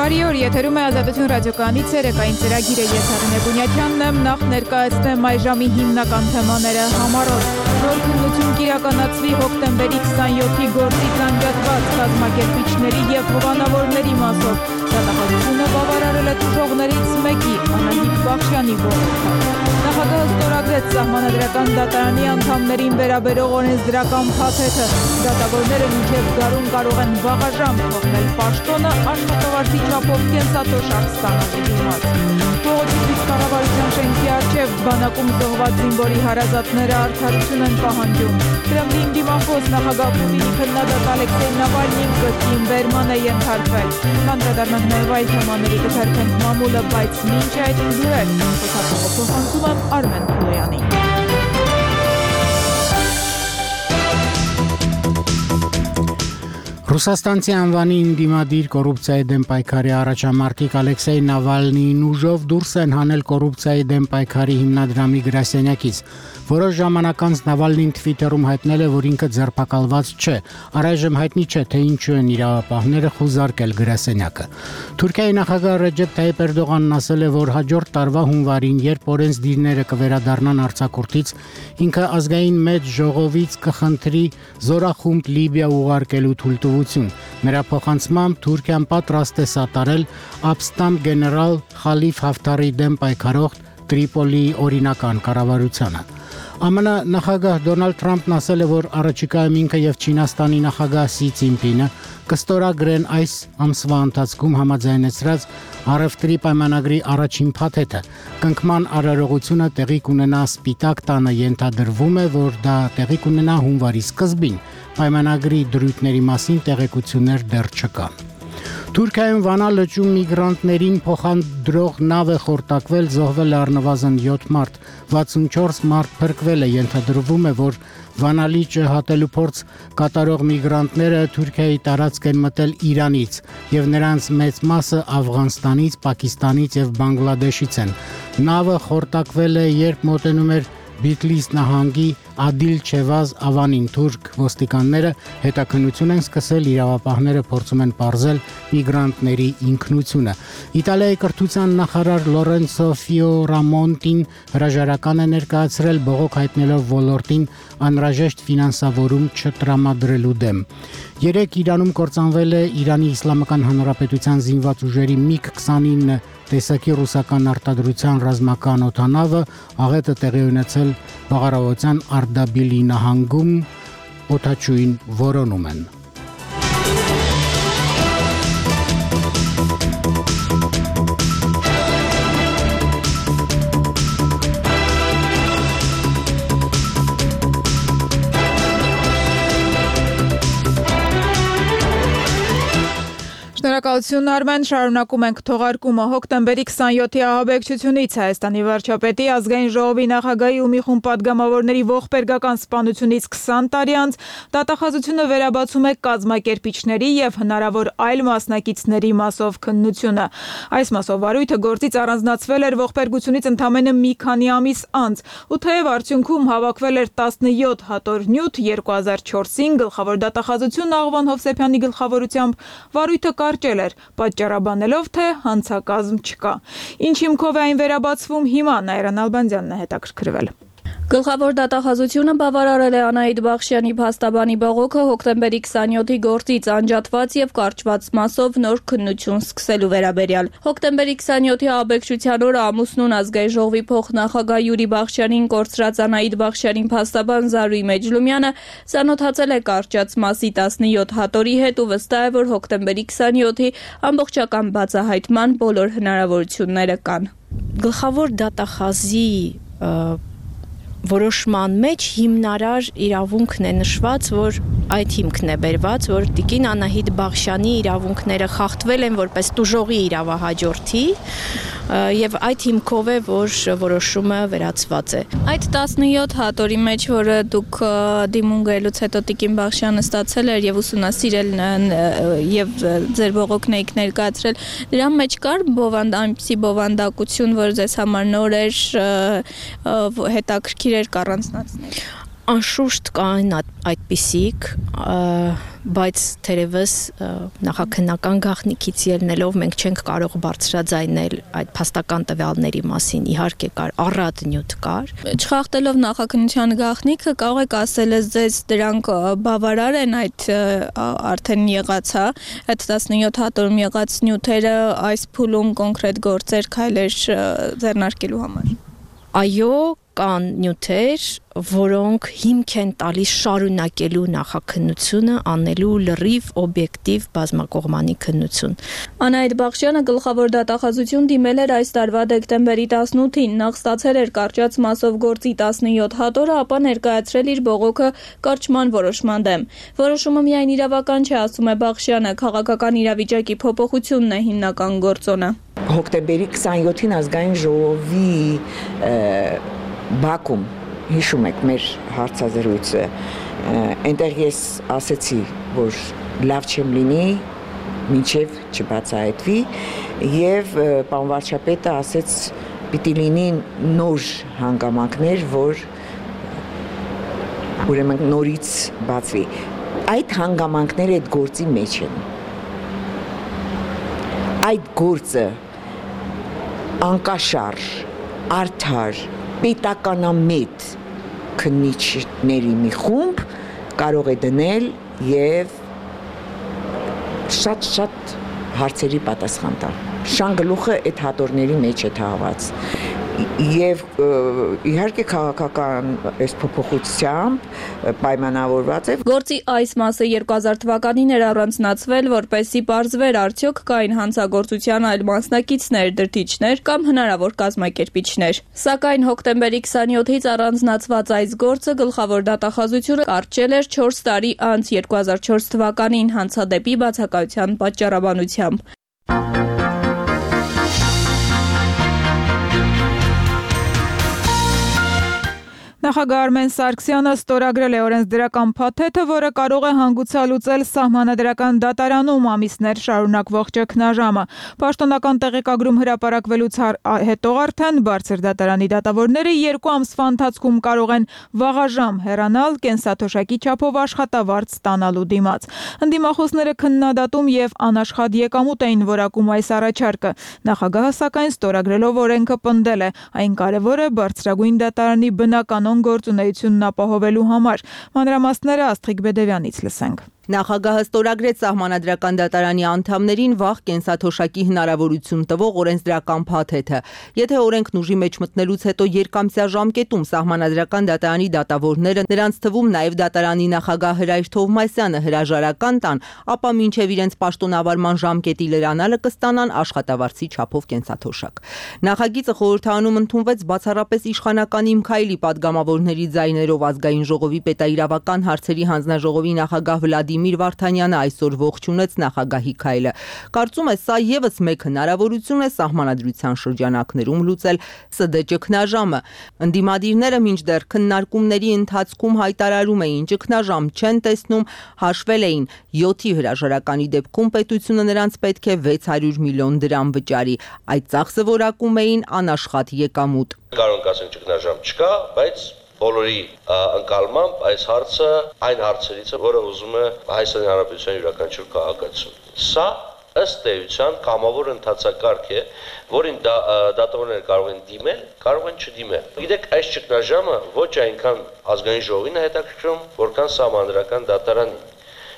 Բարի օր, եթերում է Ազատություն ռադիոկայանի ցերեկային ծրագիրը, ես Արինե Բունյակյանն եմ, նախ ներկայացնեմ այժմի հիմնական թեմաները համառոտ։ Նոր քննություն կիրականացվի հոկտեմբերի 27-ի գործից անջատված կազմակերպիչների եւ հովանավորների մասով։ Դատախազությունը բավարարել է տուժողներից մեկի, Անահիտ Բախշյանի ողջույնը։ Նախագահը ստորագրեց Սահմանադրական դատարանի անդամներին վերաբերող օրենսդրական փաթեթը։ Դատավորները մինչև գարուն կարող են վաղաժամ թողնել պաշտոնը աշխատավարձի չափով կենսաթոշակ ստանալու դիմաց։ Բողոքի կառավարության շենքի առջև բանակում զոհված զինվորի հարազատները արդարություն են պահանջում։ Կրեմլին դիմախոս նախագահ Պուտինի քննադատ Ալեքսեյ Նավալնին կրկին բերման է ենթարկվել։ Կանդրադառնանք նաև այլ թեմաների, կթերթենք մամուլը, բայց մինչ այդ լուրեր փոխանցում եմ Արմեն Փուլեյանին։ Ռուսաստանցի անվանի ընդդիմադիր կոռուպցիայի դեմ պայքարի առաջամարտիկ Ալեքսեյ Նավալնին ուժով դուրս են հանել կոռուպցիայի դեմ պայքարի հիմնադրամի գրասենյակից։ Որոշ ժամանակ անց Նավալնին Twitter-ում հայտնել է, որ ինքը ձերբակալված չէ։ Առայժմ հայտնի չէ, թե ինչու են իրավապահները խուզարկել գրասենյակը։ Թուրքիայի նախագահ Ռեջեփ Թայիփ Էրդողանն ասել է, որ հաջորդ տարվա հունվարին, երբ օրենսդիրները կվերադառնան արձակուրդից, ինքը ազգային մեծ ժողովից կխնդրի զորախումբ Լիբիա ուղարկելու թույլտվություն։ Նրա փոխանցմամբ Թուրքիան պատրաստ է սատարել ապստամբ գեներալ Խալիֆ Հաֆթարի դեմ պայքարող Տրիպոլիի օրինական կառավարությանը։ ԱՄՆ նախագահ Դոնալդ Թրամփն ասել է, որ առաջիկայում ինքը եւ Չինաստանի նախագահ Սի Ցինպինը կստորագրեն այս ամսվա ընթացքում համաձայնեցրած առևտրի պայմանագրի առաջին փաթեթը։ Կնքման արարողությունը տեղի կունենա Սպիտակ տանը, ենթադրվում է, որ դա տեղի կունենա հունվարի սկզբին։ Պայմանագրի դրույթների մասին տեղեկություններ դեռ չկան։ Թուրքիայում Վանա լճում միգրանտներին փոխադրող նավ է խորտակվել, զոհվել է առնվազն 7 մարդ, 64 մարդ փրկվել է, ենթադրվում է, որ Վանա լիճը հատելու փորձ կատարող միգրանտները Թուրքիայի տարածք են մտել Իրանից եւ նրանց մեծ մասը Աֆղանստանից, Պակիստանից եւ Բանգլադեշից են։ Նավը խորտակվել է, երբ մոտենում էր Բիթլիս նահանգի Ադիլ Չեվազ ավանին։ Թուրք ոստիկանները հետաքննություն են սկսել, իրավապահները փորձում են պարզել միգրանտների ինքնությունը։ Իտալիայի կրթության նախարար Լորենցո Ֆիորամոնտին հրաժարական է ներկայացրել, բողոք հայտնելով ոլորտին անհրաժեշտ ֆինանսավորում չտրամադրելու դեմ։ Երեկ Իրանում կործանվել է Իրանի Իսլամական Հանրապետության զինված ուժերի MiG-29 տեսակի ռուսական արտադրության ռազմական օդանավը, աղետը տեղի ունեցել Բաղարավոցյան Արդաբիլի նահանգում, օդաչուին որոնում են։ Շնորհակալություն Արմեն, շարունակում ենք թողարկումը։ Հոկտեմբերի 27-ի ահաբեկչությունից Հայաստանի վարչապետի, ազգային ժողովի նախագահի ու մի խումբ պատգամավորների ողբերգական սպանությունից 20 տարի անց դատախազությունը վերաբացում է կազմակերպիչների եւ հնարավոր այլ մասնակիցների մասով քննությունը։ Այս մասով վարույթը գործից առանձնացվել էր ողբերգությունից ընդամենը մի քանի ամիս անց, ու թեև արդյունքում հավաքվել էր 17 հատոր նյութ 2004-ին գլխավոր դատախազություն Աղվան Հովսեփյանի գլխավորությամբ, վարույթը կարճել էր, պատճառաբանելով, թե հանցակազմ չկա։ Ինչ հիմքով է այն վերաբացվում հիմա, Նայիրան Ալբանդյանն է հետաքրքրվել։ Գլխավոր դատախազությունը բավարարել է Անահիտ Բախշյանի փաստաբանի բողոքը հոկտեմբերի 27-ի գործից անջատված եւ կարճված մասով նոր քննություն սկսելու վերաբերյալ։ Հոկտեմբերի 27-ի ահաբեկչության օրը ամուսնուն ազգային ժողովի փոխնախագահ Յուրի Բախշյանին կորցրած Անահիտ Բախշյանի փաստաբան Զարուհի Մեջլումյանը ծանոթացել է կարճած մասի 17 հատորի հետ ու վստահ է, որ հոկտեմբերի 27-ի ամբողջական բացահայտման բոլոր հնարավորությունները կան։ Գլխավոր դատախազի որոշման մեջ հիմնարար իրավունքն է նշված, որ այդ հիմքն է բերված, որ տիկին Անահիտ Բախշյանի իրավունքները խախտվել են որպես տուժողի իրավահաջորդի եւ այդ հիմքով է, որ որոշումը վերացված է։ Այդ 17 հատորի մեջ, որը դուք դիմում գելուց հետո տիկին Բախշյանը ստացել էր եւ ուսումնասիրել եւ ձեր բողոքն եք ներկայացրել, դրա մեջ կար այնպիսի բովանդակություն, որ ձեզ համար նոր էր, հետաքրքիր էր կառանձնացնել։ Անշուշտ կային այդպիսիք, բայց թերևս նախաքննական գաղտնիքից ելնելով մենք չենք կարող բարձրաձայնել այդ փաստական տվյալների մասին, իհարկե կար առատ նյութ կար։ Չխախտելով նախաքննության գաղտնիքը, կարող եք ասել ձեզ դրանք բավարար են այդ արդեն եղած, այդ 17 հատորում եղած նյութերը այս փուլում կոնկրետ գործեր, քայլեր ձեռնարկելու համար։ Այո, կան նյութեր, որոնք հիմք են տալիս շարունակելու նախաքննությունը, անելու լրիվ օբյեկտիվ բազմակողմանի քննություն։ Անահիտ Բախշյանը գլխավոր դատախազություն դիմել էր այս տարվա դեկտեմբերի 18-ին, նախ ստացել էր կարճած մասով գործի 17 հատորը, ապա ներկայացրել իր բողոքը կարճման որոշման դեմ։ Որոշումը միայն իրավական չէ, ասում է Բախշյանը, քաղաքական իրավիճակի փոփոխությունն է հիմնական գործոնը։ Հոկտեմբերի 27-ին ազգային ժողովի Բաքում, հիշում եք մեր հարցազրույցը, այնտեղ ես ասեցի, որ լավ չեմ լինի, մինչև չբացահայտվի, եւ պարոն վարչապետը ասեց, պիտի լինի նոր հանգամանքներ, որ ուրեմն նորից բացվի։ Այդ հանգամանքները այդ գործի մեջ են։ Այդ գործը անկաշար, արդար, պետականամետ քննիչների մի խումբ կարող է դնել եւ շատ հարցերի պատասխան տալ։ Շան գլուխը այդ հատորների մեջ է թաղված։ Եվ իհարկե քաղաքական այս փոփոխությամբ պայմանավորված է։ Գործի այս մասը 2000 թվականին էր առանձնացվել, որպեսզի պարզվեր արդյոք կային հանցագործության այլ մասնակիցներ, դրդիչներ կամ հնարավոր կազմակերպիչներ։ Սակայն հոկտեմբերի 27-ից առանձնացված այս գործը գլխավոր դատախազությունը կարճել էր 4 տարի անց 2004 թվականին հանցադեպի բացակայության պատճառաբանությամբ։ Նախագահ Արմեն Սարգսյանը ստորագրել է օրենսդրական փաթեթը, որը կարող է հանգուցալուծել սահմանադրական դատարանում ամիսներ շարունակվող ճգնաժամը։ Պաշտոնական տեղեկագրում հրապարակվելուց հետո արդեն բարձր դատարանի դատավորները 2 ամսվա ընթացքում կարող են վաղաժամ հեռանալ կենսաթոշակի չափով աշխատավարձ ստանալու դիմաց։ Ընդդիմախոսները քննադատում եւ անաշխատ եկամուտ էին որակում այս առաջարկը։ Նախագահը սակայն ստորագրելով օրենքը պնդել է, այն կարևոր է բարձրագույն դատարանի բնականոն գործունեությունն ապահովելու համար։ Մանրամասները Աստղիկ Բեդևյանից լսենք։ Նախագահը ստորագրեց սահմանադրական դատարանի անդամներին վաղ կենսաթոշակի հնարավորություն տվող օրենսդրական փաթեթը։ Եթե օրենքն ուժի մեջ մտնելուց հետո երկամսյա ժամկետում սահմանադրական դատարանի դատավորները, նրանց թվում նաև դատարանի նախագահ Հրայր Թովմասյանը հրաժարական տան, ապա մինչև իրենց պաշտոնավարման ժամկետի լրանալը կստանան աշխատավարձի չափով կենսաթոշակ։ Նախագիծը խորհրդարանում ընդունվեց բացառապես իշխանական Իմ Քայլի պատգամավորների ձայներով ազգային ժողովի պետաիրավական հարցերի հանձնաժողովի նախագահ Վլադիմիր Վարդանյանը այսօր ողջունեց նախագահի քայլը։ Կարծում է, սա եւս մեկ հնարավորություն է սահմանադրության շրջանակներում լուծել ՍԴ ճգնաժամը։ Ընդդիմադիրները մինչդեռ քննարկումների ընթացքում հայտարարում էին, ճգնաժամ չեն տեսնում, հաշվել էին 7-ի հրաժարականի դեպքում պետությունը նրանց պետք է 600 միլիոն դրամ վճարի։ Այդ ծախսը որակում էին անաշխատ եկամուտ։ Կարող ենք ասենք ճգնաժամ չկա, բայց բոլորի ընկալմամբ այս հարցը այն հարցերից է, որը ուզում է Հայաստանի Հանրապետության յուրաքանչյուր քաղաքացի։ Սա ըստ էության կամավոր ընթացակարգ է, որին դատավորները կարող են դիմել, կարող են չդիմել։ Գիտեք, այս ճգնաժամը ոչ այնքան ազգային ժողովին է հետաքրքրում, որքան սահմանադրական դատարանին։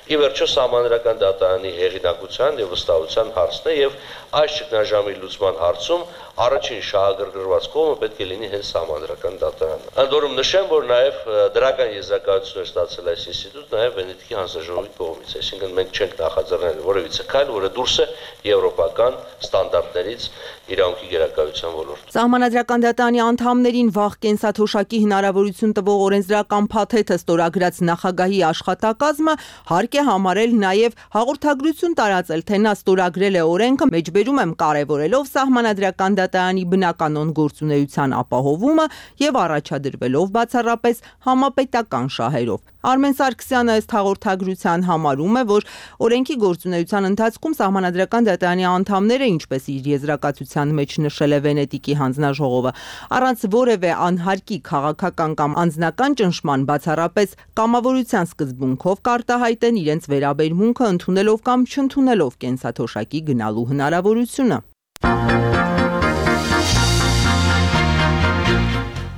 Ի վերջո սահմանադրական դատարանի հեղինակության եւ վստահության հարցն է եւ այս ճգնաժամի լուծման հարցում առաջին շահագրգռված կողմը պետք է լինի հենց սահմանադրական դատարանը։ Ընդ որում նշեմ, որ նաեւ դրական եզրակացություն է ստացել այս ինստիտուտ նաեւ Վենետիկի հանձնաժողովի կողմից, այսինքն մենք չենք նախաձեռնել որևիցե քայլ, որը դուրս է եվրոպական ստանդարտներից իրավունքի գերակայության ոլորտում։ Սահմանադրական դատարանի անդամներին վաղ կենսաթոշակի հնարավորություն տվող օրենսդրական փաթեթը ստորագրած նախագահի աշխատակազմը հարկ է համարել նաև հաղորդագրություն տարածել, թե նա ստորագրել է օրենքը, մեջբերում եմ կարևորելով սահմանադրական դատարանի բնականոն գործունեության ապահովումը եւ առաջադրվելով բացառապես համապետական շահերով։ Արմեն Սարգսյանը ըստ հաղորդագրության համարում է, որ օրենքի գործունեության ընթացքում Սահմանադրական դատարանի անդամները, ինչպես իր եզրակացության մեջ նշել է Վենետիկի հանձնաժողովը, առանց որևէ անհարկի քաղաքական կամ անձնական ճնշման բացառապես կամավորության սկզբունքով կարտահայտեն իրենց վերաբերմունքը ընդունելով կամ չընդունելով կենսաթոշակի գնալու հնարավորությունը։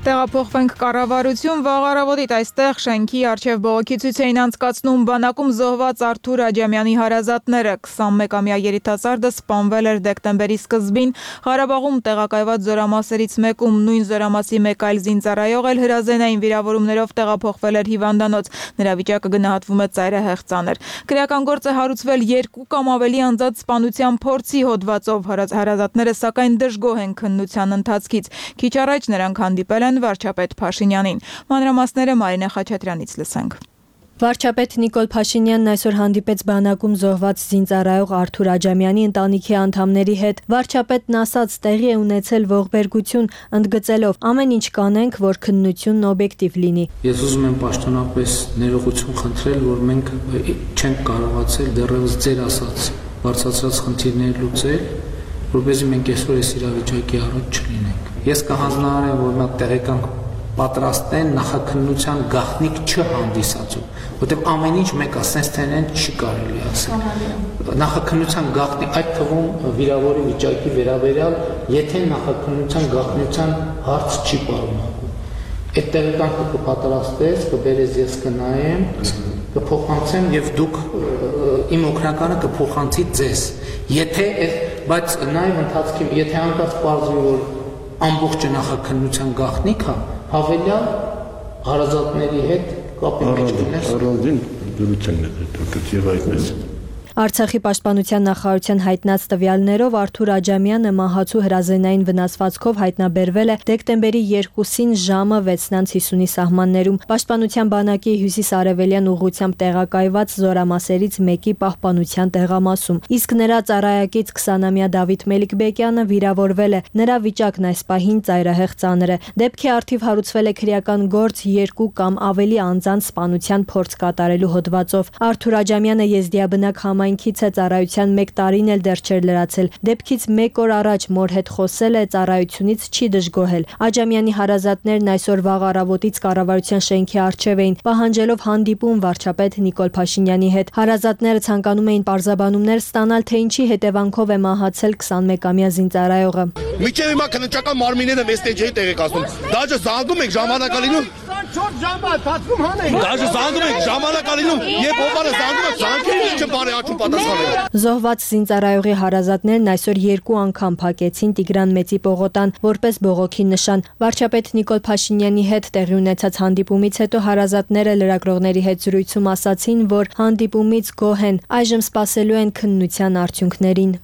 Տեղափոխվենք կառավարություն, վաղ առավոտից այստեղ շենքի առջև բողոքի ցույց էին անցկացնում բանակում զոհված Արթուր Աջամյանի հարազատները։ 21-ամյա երիտասարդը սպանվել էր դեկտեմբերի սկզբին Ղարաբաղում տեղակայված զորամասերից մեկում, նույն զորամասի մեկ այլ զինծառայող էլ հրազենային վիրավորումներով տեղափոխվել էր հիվանդանոց։ Նրա վիճակը գնահատվում է ծայրահեղ ծանր։ Քրեական գործ է հարուցվել 2 կամ ավելի անձած սպանության փորձի հոդվածով։ Հարազատները սակայն դժգոհ են քննության ընթացքից։ Քիչ առաջ նրանք հանդիպել են վարչապետ Փաշինյանին։ Մանրամասները Մարինե Խաչատրյանից լսենք։ Վարչապետ Նիկոլ Փաշինյանն այսօր հանդիպեց բանակում զոհված զինծառայող Արթուր Աջամյանի ընտանիքի անդամների հետ։ Վարչապետն ասաց, տեղի է ունեցել ողբերգություն, ընդգծելով ամեն ինչ կանենք, որ քննությունն օբյեկտիվ լինի։ Ես ուզում եմ պաշտոնապես ներողություն խնդրել, որ մենք չենք կարողացել դեռևս ձեր ասած բարձրացրած խնդիրները լուծել, որպեսզի մենք այսօր այս իրավիճակի առաջ չլինենք։ Ես կհանձնարարեմ, որ նա տեղեկանք պատրաստեն նախաքննության գաղտնիք չհանդիսացու, որտեղ ամեն ինչ մեկ ասենց թենեն չի կարելի ասել։ Նախաքննության գաղտնիք, այդ թվում վիրավորի վիճակի վերաբերյալ, եթե նախաքննության գաղտնիության հարց չի պարունակում։ Այդ տեղեկանքը կպատրաստես, կբերես ես կնայեմ, կփոխանցեմ եւ դուք իմ օգնականը կփոխանցի ձեզ։ Եթե բայց նաեւ ընթացքի, եթե անկած պարզվի, որ ամբողջը նախաքննության գաղտնիք է, հավելյալ հարազատների հետ կապի մեջ գնես։ Առանձին դրության է դա այդպես։ Արցախի պաշտպանության նախարարության հայտնած տվյալներով Արթուր Աջամյանը մահացու հրազենային վնասվածքով հայտնաբերվել է դեկտեմբերի 2-ին ժամը 6:50-ի սահմաններում պաշտպանության բանակի հյուսիս-արևելյան ուղղությամբ տեղակայված զորամասերից մեկի պահպանության տեղամասում։ Իսկ նրա ծառայակից 20-ամյա Դավիթ Մելիքբեկյանը վիրավորվել է։ Նրա վիճակն այս պահին ծայրահեղ ծանր է։ Դեպքի առթիվ հարուցվել է քրեական գործ 2 կամ ավելի անձանց սպանության փորձ կատարելու հոդվածով։ Արթուր Աջամյանը եզդիաբնակ համայնքից է, ծառայության 1 տարին էլ դեռ չէր լրացել։ Դեպքից 1 օր առաջ մոր հետ խոսել է, ծառայությունից չի դժգոհել։ Աջամյանի հարազատներն այսօր վաղ առավոտից կառավարության շենքի առջև էին, պահանջելով հանդիպում վարչապետ Նիկոլ Փաշինյանի հետ։ Հարազատները ցանկանում էին պարզաբանումներ ստանալ, թե ինչի հետևանքով է մահացել 21-ամյա զինծառայողը։ Միջև հիմա քննչական մարմինները մեզ տեջի տեղեկացնում։ Դաժե զանգում եք ժամանակալինում 24 ժամը բացում հանեք։ Դաժե զանգում եք ժամանակալինում, երբ ովարը զանգում է, զանգերից չբարի աչու պատասխանել։ Զոհված զինծառայողի հարազատներն այսօր 2 անգամ փակեցին Տիգրան Մեծի պողոտան որպես բողոքի նշան։ Վարչապետ Նիկոլ Փաշինյանի հետ տեղի ունեցած հանդիպումից հետո հարազատները լրագրողների հետ զրույցում ասացին, որ հանդիպումից գոհ են, այժմ սպասելու են քննության արդյունքներին։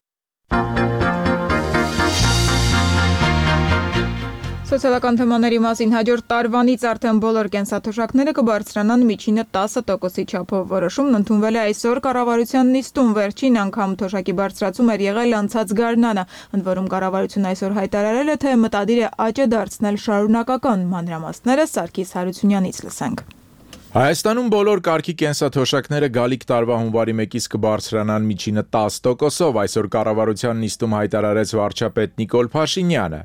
Սոցիալական թեմաների մասին հաջորդ տարվանից արդեն բոլոր կենսաթոշակները կբարձրանան միջինը 10%-ի չափով։ Որոշումն ընդունվել է այսօր կառավարության նիստում, վերջին անգամ թոշակի բարձրացում էր եղել անցած գարնանը, ընդ որում կառավարությունն այսօր հայտարարել է, թե մտադիր է աճը դարձնել շարունակական։ Մանրամասները Սարգիս Հարությունյանից լսենք։ Հայաստանում բոլոր կարգի կենսաթոշակները գալիք տարվա հունվարի 1-ից կբարձրանան միջինը 10%-ով, այսօր կառավարության նիստում հայտարարեց վարչապետ Նիկոլ Փաշինյանը։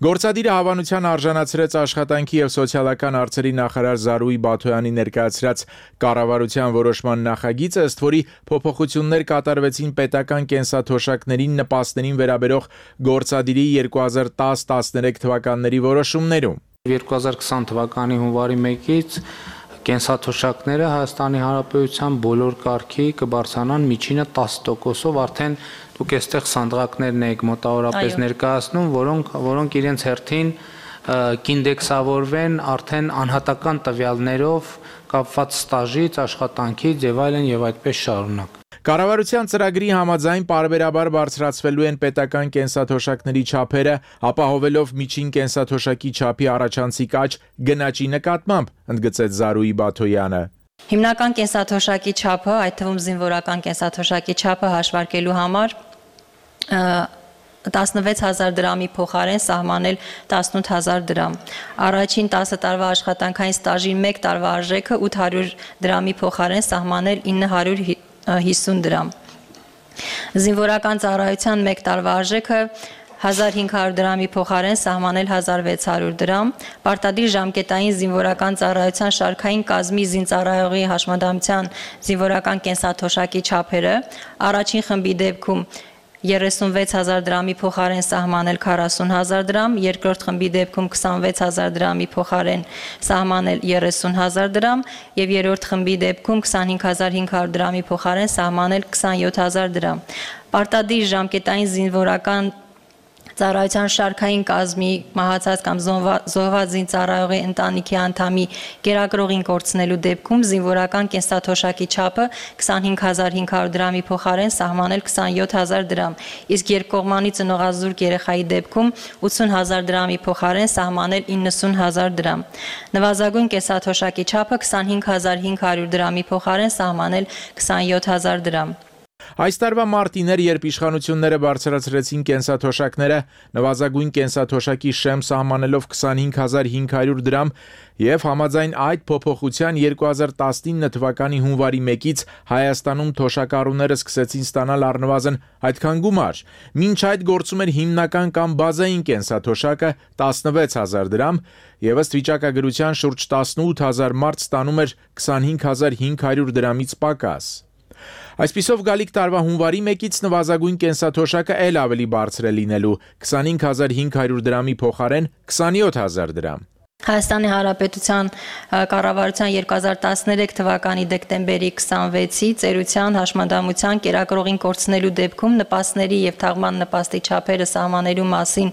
Գործադիրը հավանության արժանացրեց աշխատանքի եւ սոցիալական հարցերի նախարար Զարուհի Բաթոյանի ներկայացրած կառավարության որոշման նախագիծը, ըստ որի փոփոխություններ կատարվեցին պետական կենսաթոշակներին նպաստներին վերաբերող գործադիրի 2010-13 թվականների որոշումներում։ 2020 թվականի հունվարի 1-ից կենսաթոշակները Հայաստանի Հանրապետության բոլոր կարգի կբարձրանան միջինը 10%-ով, արդեն դուք այստեղ սանդղակներն եք մոտավորապես ներկայացնում, որոնք իրենց հերթին կինդեքսավորվեն արդեն անհատական տվյալներով կապված ստաժից, աշխատանքից եւ այլն եւ այդպես շարունակ։ Կառավարության ծրագրի համաձայն պարբերաբար բարձրացվելու են պետական կենսաթոշակների չափերը, ապահովելով միջին կենսաթոշակի չափի առաջանցիկ աճ գնաճի նկատմամբ, ընդգծեց Զարուհի Բաթոյանը։ Հիմնական կենսաթոշակի չափը, այդ թվում զինվորական կենսաթոշակի չափը հաշվարկելու համար 16000 դրամի փոխարեն սահմանել 18000 դրամ։ Առաջին 10 տարվա աշխատանքային ստաժի 1 տարվա արժեքը 800 դրամի փոխարեն սահմանել 950 դրամ։ Զինվորական ծառայության 1 տարվա արժեքը 1500 դրամի փոխարեն սահմանել 1600 դրամ, պարտադիր ժամկետային զինվորական ծառայության շարքային կազմի զինծառայողի հաշմանդամության զինվորական կենսաթոշակի չափերը, առաջին խմբի դեպքում 36000 դրամի փոխարեն սահմանել 40000 դրամ, երկրորդ խմբի դեպքում 26000 դրամի փոխարեն սահմանել 30000 դրամ եւ երրորդ խմբի դեպքում 25500 դրամի փոխարեն սահմանել 27000 դրամ։ Պարտադիր ժամկետային զինվորական ծառայության շարքային կազմի մահացած կամ զոհված զինծառայողի ընտանիքի անդամի կերակրողին կորցնելու դեպքում զինվորական կենսաթոշակի չափը 25500 դրամի փոխարեն սահմանել 27000 դրամ, իսկ երկկողմանի ծնողազուրկ երեխայի դեպքում 80000 դրամի փոխարեն սահմանել 90000 դրամ։ Նվազագույն կենսաթոշակի չափը 25500 դրամի փոխարեն սահմանել 27000 դրամ։ Այս տարվա մարտին էր, երբ իշխանությունները բարձրացրեցին կենսաթոշակները, նվազագույն կենսաթոշակի շեմ սահմանելով 25500 դրամ եւ համաձայն այդ փոփոխության 2019 թվականի հունվարի 1-ից Հայաստանում թոշակառուները սկսեցին ստանալ առնվազն այդքան գումար։ Մինչ այդ գործում էր հիմնական կամ բազային կենսաթոշակը 16000 դրամ եւ ըստ վիճակագրության շուրջ 18000 մարդ ստանում էր 25500 դրամից պակաս։ Այսպիսով գալիք տարվա հունվարի 1-ից նվազագույն կենսաթոշակը էլ ավելի բարձր է լինելու 25500 դրամի փոխարեն 27000 դրամ։ Հայաստանի Հանրապետության կառավարության 2013 թվականի դեկտեմբերի 26-ի ծերության հաշմանդամության կերակրողին կորցնելու դեպքում նպաստների եւ թաղման նպաստի չափերը սահմանելու մասին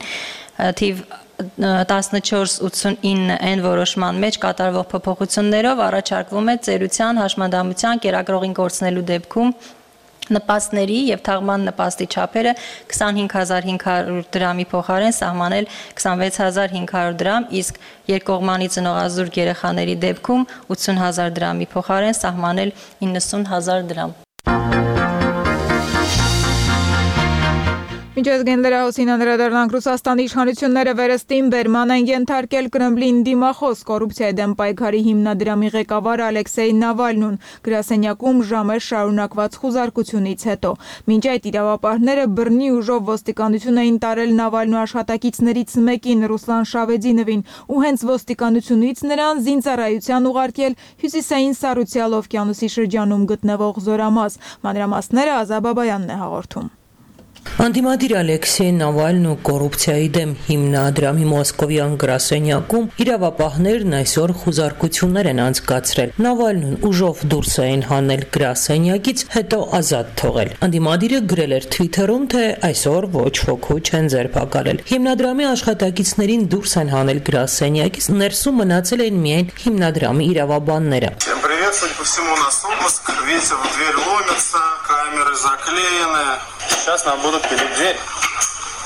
թիվ 1489N որոշման մեջ կատարվող փոփոխություններով առաջարկվում է ծերության հաշմանդամության կերակրողին կորցնելու դեպքում նպաստների եւ թաղման նպաստի չափերը 25500 դրամի փոխարեն սահմանել 26500 դրամ, իսկ երկկողմանի ծնողազուրկ երեխաների դեպքում 80000 դրամի փոխարեն սահմանել 90000 դրամ։ Մինչ ազգային լրահոսին անդրադառնանք, Ռուսաստանի իշխանությունները վերստին բերման են ենթարկել Կրեմլին դիմախոս կոռուպցիայի դեմ պայքարի հիմնադրամի ղեկավար Ալեքսեյ Նավալնուն գրասենյակում ժամեր շարունակված խուզարկությունից հետո։ Մինչ այդ իրավապահները բռնի ուժով ոստիկանություն էին տարել Նավալնու աշխատակիցներից մեկին Ռուսլան Շավեդինովին ու հենց ոստիկանությունից նրան զինծառայության ուղարկել հյուսիսային Սարուցյալ օվկիանոսի շրջանում գտնվող զորամաս։ Մանրամասները Ազա Բաբայանն է հաղորդում։ Անդիմադիր Ալեքսեյ Նավալնու կոռուպցիայի դեմ հիմնադրամի մոսկովյան գրասենյակում իրավապահներն այսօր խուզարկություններ են անցկացրել։ Նավալնուն ուժով դուրս էին հանել գրասենյակից, հետո ազատ թողել։ Անդիմադիրը գրել էր Twitter-ում, թե այսօր ոչ ոքի չեն ձերբակալել։ Հիմնադրամի աշխատակիցներին դուրս են հանել գրասենյակից, ներսում мնացել են միայն հիմնադրամի իրավաբանները։ Судя по всему, у нас обыск. Видите, в дверь ломятся, камеры заклеены. Сейчас нам будут пилить дверь.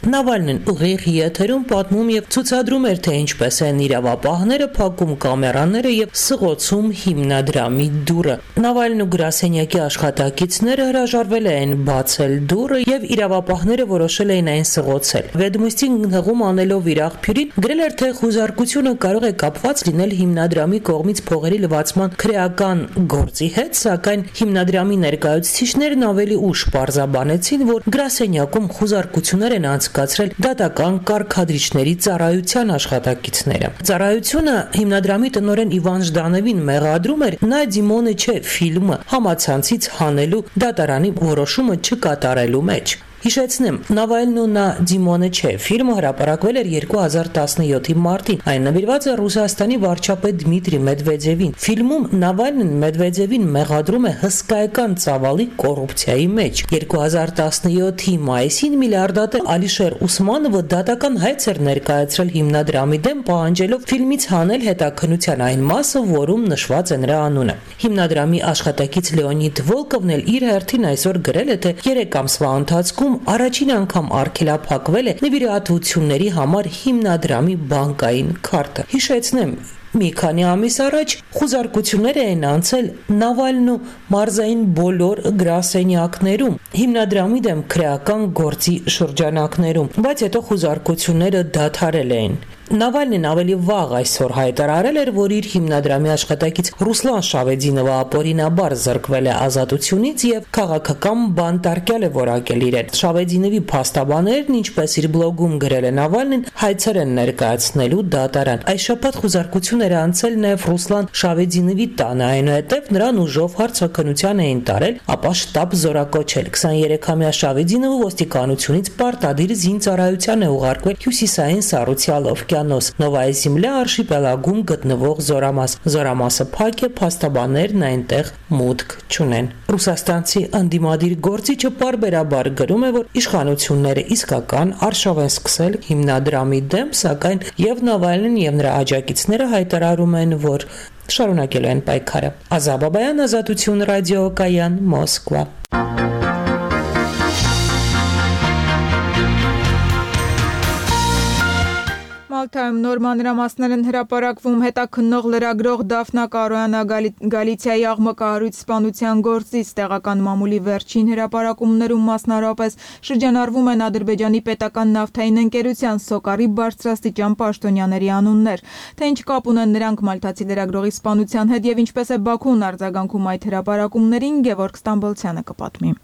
Նավալնին ուղիղ եթերում պատմում եւ ցուցադրում էր, թե ինչպես են իրավապահները փակում կամերաները եւ սղոցում հիմնադրամի դուռը։ Նավալնու գրասենյակի աշխատակիցները հրաժարվել են բացել դուռը եւ իրավապահները որոշել էին այն սղոցել։ Վեդմուստին հղում անելով իր աղբյուրին գրել էր, թե խուզարկությունը կարող է կապված լինել հիմնադրամի կողմից փողերի լվացման քրեական գործի հետ, սակայն հիմնադրամի ներկայացուցիչներն ավելի ուշ պարզաբանեցին, որ գրասենյակում խուզարկություններ են կացրել դատական կարգադրիչների ծառայության աշխատակիցները։ Ծառայությունը հիմնադրամի տնօրեն Իվան Ժդանովին մեղադրում էր նա Դիմոնը չէ ֆիլմը համացանցից հանելու դատարանի որոշումը չկատարելու մեջ։ Հիշեցնեմ, Նավալնու նա Դիմոնը չէ ֆիլմը հրապարակվել էր 2017-ի մարտին։ Այն նվիրված է Ռուսաստանի վարչապետ Դմիտրի Մեդվեդևին։ Ֆիլմում Նավալնին Մեդվեդևին մեղադրում է հսկայական ծավալի կոռուպցիայի մեջ։ 2017-ի մայիսին միլիարդատեր Ալիշեր Ուսմանովը դատական հայց էր ներկայացրել հիմնադրամի դեմ, պահանջելով ֆիլմից հանել հետաքննության այն մասը, որում նշված է նրա անունը։ Հիմնադրամի աշխատակից Լեոնիդ Վոլկովն էլ իր հերթին այսօր գրել է, թե 3 ամսվա ընթացքում առաջին անգամ արգելափակվել է նվիրատվությունների համար հիմնադրամի բանկային քարտը։ Հիշեցնեմ, Մի քանի ամիս առաջ խուզարկություններ էին անցել Նավալն ու մարզային բոլոր գրասենյակներում, հիմնադրամի դեմ քրեական գործի շրջանակներում, բայց հետո խուզարկությունները դադարել էին։ Նավալնին ավելի վաղ այսօր հայտարարել էր, որ իր հիմնադրամի աշխատակից Ռուսլան Շավեդինովը ապօրինաբար զրկվել է ազատությունից եւ քաղաքական բանտարկյալ է որակել իրեն։ Շավեդինովի փաստաբաններն, ինչպես իր բլոգում գրել է Նավալնին, հայցեր են ներկայացնելու դատարան։ Այս շաբաթ խուզարկությունները անցել նաեւ Ռուսլան Շավեդինովի տանը, այնուհետեւ նրան ուժով հարցականության էին տարել, ապա շտաբ զորակոչել։ 23-ամյա Շավեդինովը ոստիկանությունից պարտադիր զինծառայության է ուղարկվել հյուսիսային Սառուցյալով Նովայա Զեմլյա արշիպելագում գտնվող զորամաս։ Զորամասը փակ է, փաստաբաններն այնտեղ մուտք չունեն։ Ռուսաստանցի անդիմադիր գործիչը պարբերաբար գրում է, որ իշխանությունները իսկական արշավ են սկսել հիմնադրամի դեմ, սակայն եւ Նավալնին եւ նրա աջակիցները հայտարարում են, որ շարունակելու են պայքարը։ Ազա Բաբայան, Ազատություն ռադիոկայան, Մոսկվա։ Մալթայում նոր մանրամասներ են հրապարակվում հետաքննող լրագրող Դաֆնա Կարոյանը Գալիցիայի աղմկահարույց սպանության գործից տեղական մամուլի վերջին հրապարակումներում մասնավորապես շրջանառվում են Ադրբեջանի պետական նավթային ընկերության Սոկարի բարձրաստիճան պաշտոնյաների անուններ, թե ինչ կապ ունեն նրանք մալթացի լրագրողի սպանության հետ եւ ինչպես է Բաքուն արձագանքում այդ հրապարակումներին, Գևորգ Ստամբոլցյանը կպատմի։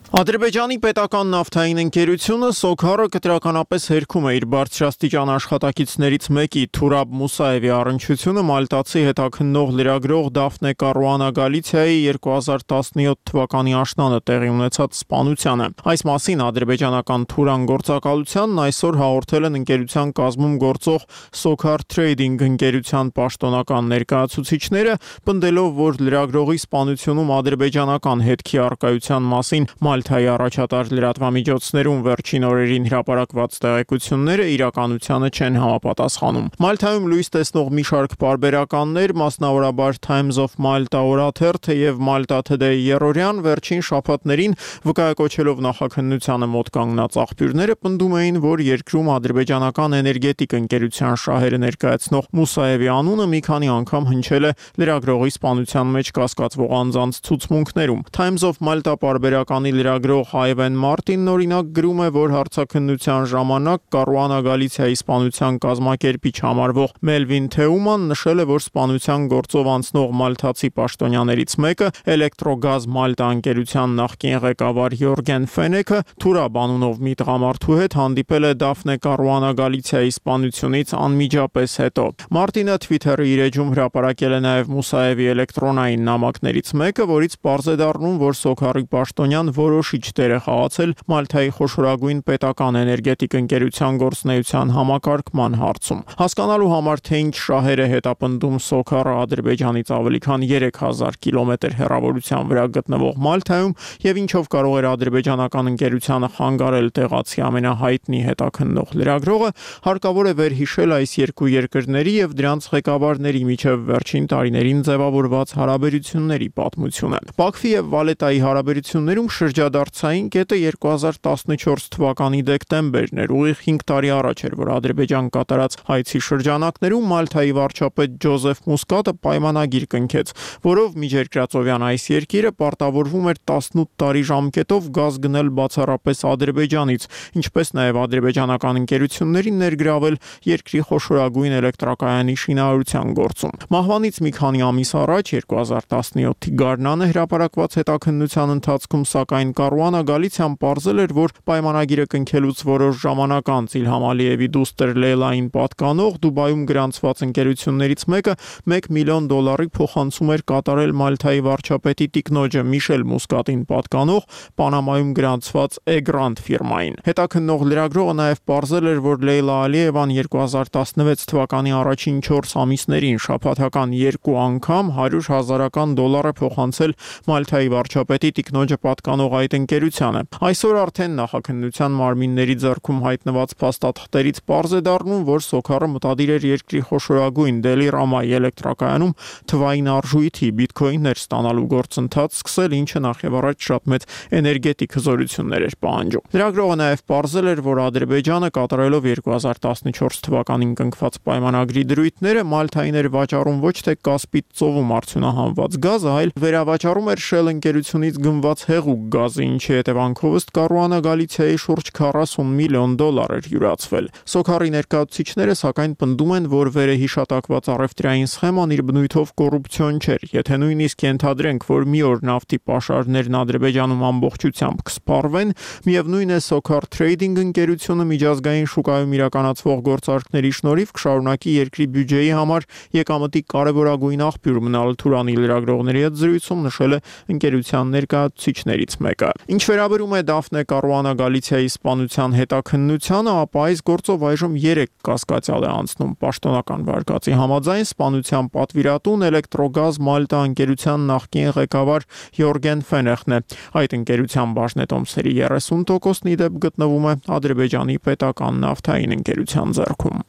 Ադրբեջանի պետական նավթային ընկերությունը Սոքարը կտրականապես հերքում է իր բարձրաստիճան աշխատակիցներից մեկի Թուրաբ Մուսաևի առնչությունը մալտացի հետաքննող լրագրող Դաֆնե Կարուանա Գալիցիայի 2017 թվականի աշնանը տեղի ունեցած սպանությանը։ Այս մասին ադրբեջանական Թուրան գործակալությանն այսօր հաղորդել են ընկերության կազմում գործող Սոքար Թրեյդինգ ընկերության պաշտոնական ներկայացուցիչները, պնդելով, որ լրագրողի սպանությունում ադրբեջանական հետքի առկայության մասին Մալթայի առաջատար լրատվամիջոցներում վերջին օրերին հրապարակված տեղեկությունները իրականությանը չեն համապատասխանում։ Մալթայում լույս տեսնող մի շարք պարբերականներ, մասնավորաբար Times of Malta օրաթերթը եւ Malta Today երրորդյան վերջին շաբաթներին վկայակոչելով նախաքննությանը մոտ կանգնած աղբյուրները պնդում էին, որ երկրում ադրբեջանական էներգետիկ ընկերության շահերը ներկայացնող Մուսաևի անունը մի քանի անգամ հնչել է լրագրողի սպանության մեջ կասկածվող անձանց ցուցմունքներում։ Times of Malta պարբերականի լրագրող Հայվեն Մարտինն օրինակ գրում է, որ հարցաքննության ժամանակ Կարուանա Գալիցիայի սպանության կազմակերպիչ համարվող Մելվին Թեուման նշել է, որ սպանության գործով անցնող մալթացի պաշտոնյաներից մեկը Էլեկտրոգազ Մալտա ընկերության նախկին ղեկավար Յորգեն Ֆենեքը Թուրաբ անունով մի տղամարդու հետ հանդիպել է Դաֆնե Կարուանա Գալիցիայի սպանությունից անմիջապես հետո։ Մարտինը Twitter-ի իր էջում հրապարակել է նաև Մուսաևի էլեկտրոնային նամակներից մեկը, որից պարզ է դառնում, որ Սոքարի պաշտոնյան որոշիչ դեր է խաղացել Մալթայի խոշորագույն պետական էներգետիկ ընկերության գործունեության համակարգման հարցում։ Հասկանալու համար, թե ինչ շահեր է հետապնդում Սոքարը Ադրբեջանից ավելի քան 3000 կիլոմետր հեռավորության վրա գտնվող Մալթայում եւ ինչով կարող էր ադրբեջանական ընկերությանը խանգարել տեղացի ամենահայտնի հետաքննող լրագրողը, հարկավոր է վերհիշել այս երկու երկրների եւ դրանց ղեկավարների միջև վերջին տարիներին ձևավորված հարաբերությունների պատմությունը։ Բաքվի եւ Վալետայի հարաբերություններում շրջադարձային կետը 2014 թվականի դեկտեմբերն էր, ուղիղ 5 տարի առաջ էր, որ Ադրբեջան կատարած հայցի շրջանակներում Մալթայի վարչապետ Ջոզեֆ Մուսկատը պայմանագիր կնքեց, որով միջերկրածովյան այս երկիրը պարտավորվում էր 18 տարի ժամկետով գազ գնել բացառապես Ադրբեջանից, ինչպես նաև ադրբեջանական ընկերություններին ներգրավել երկրի խոշորագույն էլեկտրակայանի շինարարության գործում։ Մահվանից մի քանի ամիս առաջ 2017-ի գարնանը հրապարակված հետաքննության ընթացքում սակայն Կարուանա Գալիցիան պարզել էր, որ պայմանագիրը կնքելուց որոշ ժամանակ անց Իլհամ Ալիևի դուստր Լեյլային պատկանող Դուբայում գրանցված ընկերություններից մեկը $1 միլիոն փոխանցում էր կատարել Մալթայի վարչապետի տիկնոջը Միշել Մուսկատին պատկանող Պանամայում գրանցված Էգրանտ ֆիրմային։ Հետաքննող լրագրողը նաև պարզել էր, որ Լեյլա Ալիևան 2016 թվականի առաջին 4 ամիսներին շաբաթական 2 անգամ $100,000 փոխանցել Մալթայի վարչապետի տիկնոջը պատկանող տնօրինող այդ ընկերությանը։ Այսօր արդեն նախաքննության մարմինների ձեռքում հայտնված փաստաթղթերից պարզ է դառնում, որ Սոքարը մտադիր էր երկրի խոշորագույն Դելիրամայի էլեկտրակայանում թվային արժույթի բիտքոիններ ստանալու գործընթաց սկսել, ինչը նախևառաջ շատ մեծ էներգետիկ հզորություններ էր պահանջում։ Լրագրողը նաև պարզել էր, որ Ադրբեջանը կատարելով 2014 թվականին կնքված պայմանագրի դրույթները մալթային էր վաճառում ոչ թե Կասպից ծովում արդյունահանված գազը, այլ վերավաճառում էր Shell ընկերությունից գնված հեղուկ գազը, ինչի հետևանքով ըստ Կարուանա Գալիցիայի շուրջ $40 միլիոն էր յուրացվել։ Սոքարի ներկայացուցիչները սակայն պնդում են, որ վերահիշատակված առևտրային սխեման իր բնույթով կոռուպցիոն չէր։ Եթե նույնիսկ ենթադրենք, որ մի օր նավթի պաշարներն Ադրբեջանում ամբողջությամբ կսպառվեն, միևնույն է Սոքար Թրեյդինգ ընկերությունը միջազգային շուկայում իրականացվող գործարքների շնորհիվ կշարունակի երկրի բյուջեի համար եկամտի կարևորագույն աղբյուր մնալ, Թուրանի լրագրողների հետ զրույցում նշել է ընկերության ներկայացուցիչներից մեկը։ Ինչ վերաբերում է Դաֆնե Կարուանա Գալիցիայի սպանության հետաքննությանը, ապա այս գործով այժմ 3 կասկածյալ է անցնում։ Պաշտոնական վարկածի համաձայն սպանության պատվիրատուն Էլեկտրոգազ Մալտա ընկերության նախկին ղեկավար Յորգեն Ֆենեխն է։ Այդ ընկերության բաժնետոմսերի 30%-ն ի դեպ գտնվում է Ադրբեջանի պետական նավթային ընկերության ձեռքում։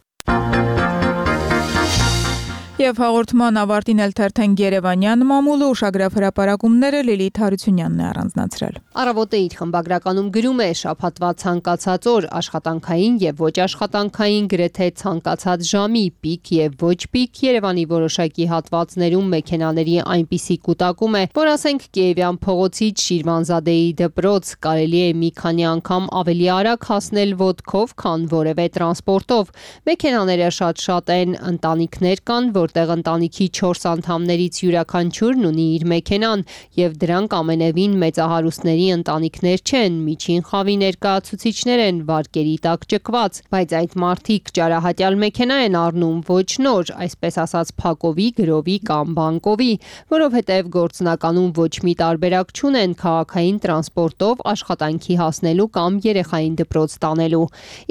Եվ հաղորդման ավարտին էլ թերթենք Երևանյան մամուլը ուշագրավ հրապարակումները Լիլիթ Հարությունյանն է առանձնացրել։ Առավոտը իր խմբագրականում գրում է շաբաթվա ցանկացած օր աշխատանքային եւ ոչ աշխատանքային գրեթե ցանկացած ժամի պիկ եւ ոչ պիկ Երևանի որոշակի հատվածներում մեքենաների այնպիսի կուտակում է, որ ասենք Կիևյան փողոցից Շիրվանզադեի դպրոց կարելի է մի քանի անգամ ավելի արագ հասնել ոտքով, քան որևէ տրանսպորտով։ Մեքենաները շատ են, ընտանիքներ կան, որտեղ ընտանիքի 4 անդամներից յուրաքանչյուրն ունի իր մեքենան, եւ դրանք ամենևին մեծահարուստների ընտանիքներ չեն, միջին խավի ներկայացուցիչներ են, վարկերի տակ ճկված, բայց այդ մարդիկ ճարահատյալ մեքենա են առնում, ոչ նոր, այսպես ասած փակովի, գրովի կամ բանկովի, որովհետեւ գործնականում ոչ մի տարբերակ չունեն քաղաքային տրանսպորտով աշխատանքի հասնելու կամ երեխային դպրոց տանելու։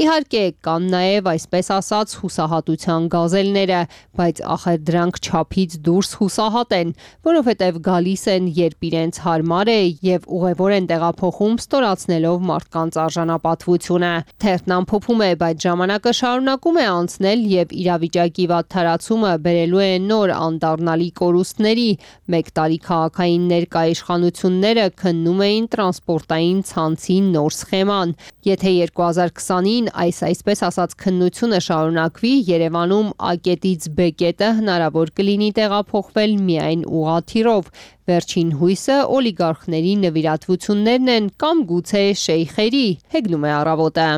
Իհարկե, կան նաեւ այսպես ասած հուսահատության գազելները, բայց ախր դրանք չափից դուրս հուսահատ են, որովհետև գալիս են, երբ իրենց հարմար է եւ ուղևոր են տեղափոխում ստորացնելով մարդկանց արժանապատվությունը։ Թերթն ամփոփում է, բայց ժամանակը շարունակում է անցնել եւ իրավիճակի վատթարացումը բերելու է նոր անդառնալի կորուստների։ Մեկ տարի քաղաքային ներկայիշխանությունները քննում էին տրանսպորտային ցանցի նոր սխեման։ Եթե 2020-ին այսպես ասած քննությունը շարունակվի, Երևանում A-կետից B-կետը հնարավոր կլինի տեղափոխվել միայն ուղղաթիռով։ Վերջին հույսը օլիգարխների նվիրատվություններն են կամ գուցե շեյխերի, հեգնում է Առավոտը։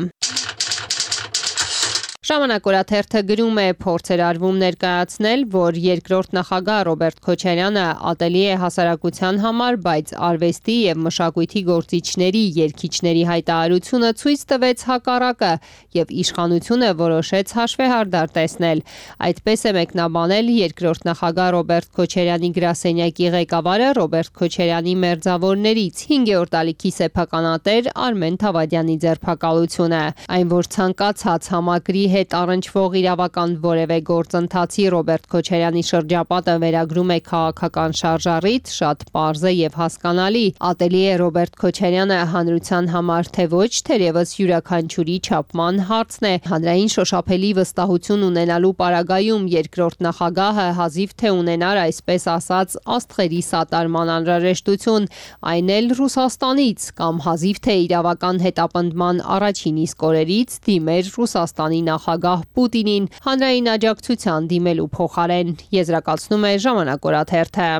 Ժամանակ օրաթերթը գրում է, փորձ էր արվում ներկայացնել, որ երկրորդ նախագահ Ռոբերտ Քոչարյանը ատելի է հասարակության համար, բայց արվեստի եւ մշակույթի գործիչների, երգիչների հայտարարությունը ցույց տվեց հակառակը եւ իշխանությունը որոշեց հաշվեհարդար տեսնել։ Այդպես է մեկնաբանել երկրորդ նախագահ Ռոբերտ Քոչարյանի գրասենյակի ղեկավարը Ռոբերտ Քոչարյանի մերձավորներից 5-րդ ալիքի սեփականատեր Արմեն Թավադյանի ձերբակալությունը։ Այն, որ ցանկացած համակրի հետ առնչվող իրավական որևէ գործընթացի Ռոբերտ Քոչարյանի շրջապատը վերագրում է քաղաքական շարժառիթ, շատ պարզ է եւ հասկանալի։ Ատելի է Ռոբերտ Քոչարյանը հանրության համար թե ոչ, թերևս յուրաքանչյուրի չափման հարցն է։ Հանրային շոշափելի վստահություն ունենալու պարագայում երկրորդ նախագահը հազիվ թե ունենար այսպես ասած աստղերի սատարման անհրաժեշտություն, այն էլ Ռուսաստանից, կամ հազիվ թե իրավական հետապնդման առաջին իսկ օրերից դիմեր Ռուսաստանի նախագահ Պուտինին հանրային աջակցության դիմելու փոխարեն, եզրակացնում է Ժամանակ օրաթերթը։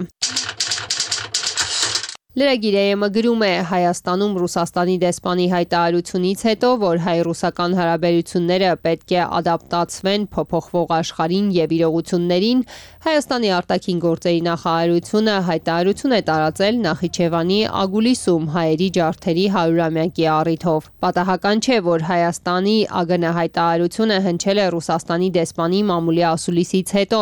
Լրագիրը գրում է, Հայաստանում Ռուսաստանի դեսպանի հայտարարությունից հետո, որ հայ-ռուսական հարաբերությունները պետք է ադապտացվեն փոփոխվող աշխարհին եւ իրողություններին, Հայաստանի արտաքին գործերի նախարարությունը հայտարարություն է տարածել Նախիջևանի Ագուլիսում հայերի ջարդերի 100-ամյակի առիթով։ Պատահական չէ, որ Հայաստանի ԱԳՆ հայտարարությունը հնչել է Ռուսաստանի դեսպանի մամուլի ասուլիսից հետո։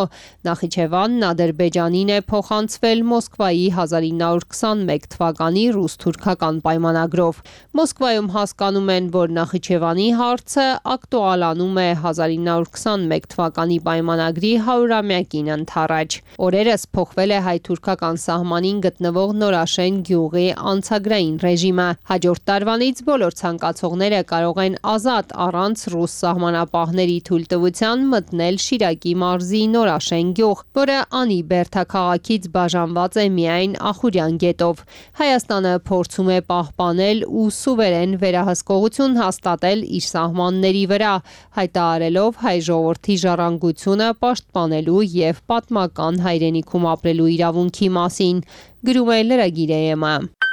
Նախիջևանն Ադրբեջանին է փոխանցվել Մոսկվայի 1921 թվականի ռուս-թուրքական պայմանագրով։ Մոսկվայում հասկանում են, որ Նախիջևանի հարցը ակտուալանում է 1921 թվականի պայմանագրի 100-ամյակին ընդառաջ։ Օրերս փոխվել է հայ-թուրքական սահմանին գտնվող Նորաշեն գյուղի անցագրային ռեժիմը։ Հաջորդ տարվանից բոլոր ցանկացողները կարող են ազատ առանց ռուս սահմանապահների թույլտվության մտնել Շիրակի մարզի Նորաշեն գյուղ, որը Անի բերդաքաղաքից բաժանված է միայն Ախուրյան գետով։ Հայաստանը փորձում է պահպանել ու սուվերեն վերահսկողություն հաստատել իր սահմանների վրա, հայտարարելով հայ ժողովրդի ժառանգությունը պաշտպանելու եւ պատմական հայրենիքում ապրելու իրավունքի մասին, գրում է Լրագիր ԵՄ։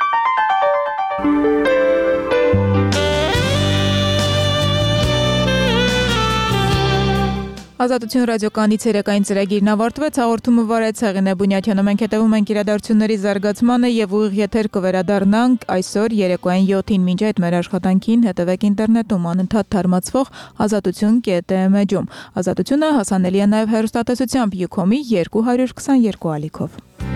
Ազատություն ռադիոկայանի ցերեկային ծրագիրն ավարտվեց, հաղորդումը վարեց Հեղինե Բունյաթյանը, մենք հետևում ենք իրադարձությունների զարգացմանը եւ ուղիղ եթեր կվերադառնանք այսօր երեկոյան 7-ին, մինչ այդ մեր աշխատանքին հետևեք ինտերնետում անընդհատ թարմացվող azatutun.am-ում։ Ազատությունը հասանելի է նաեւ հեռուստատեսությամբ Ucom-ի 222 ալիքով։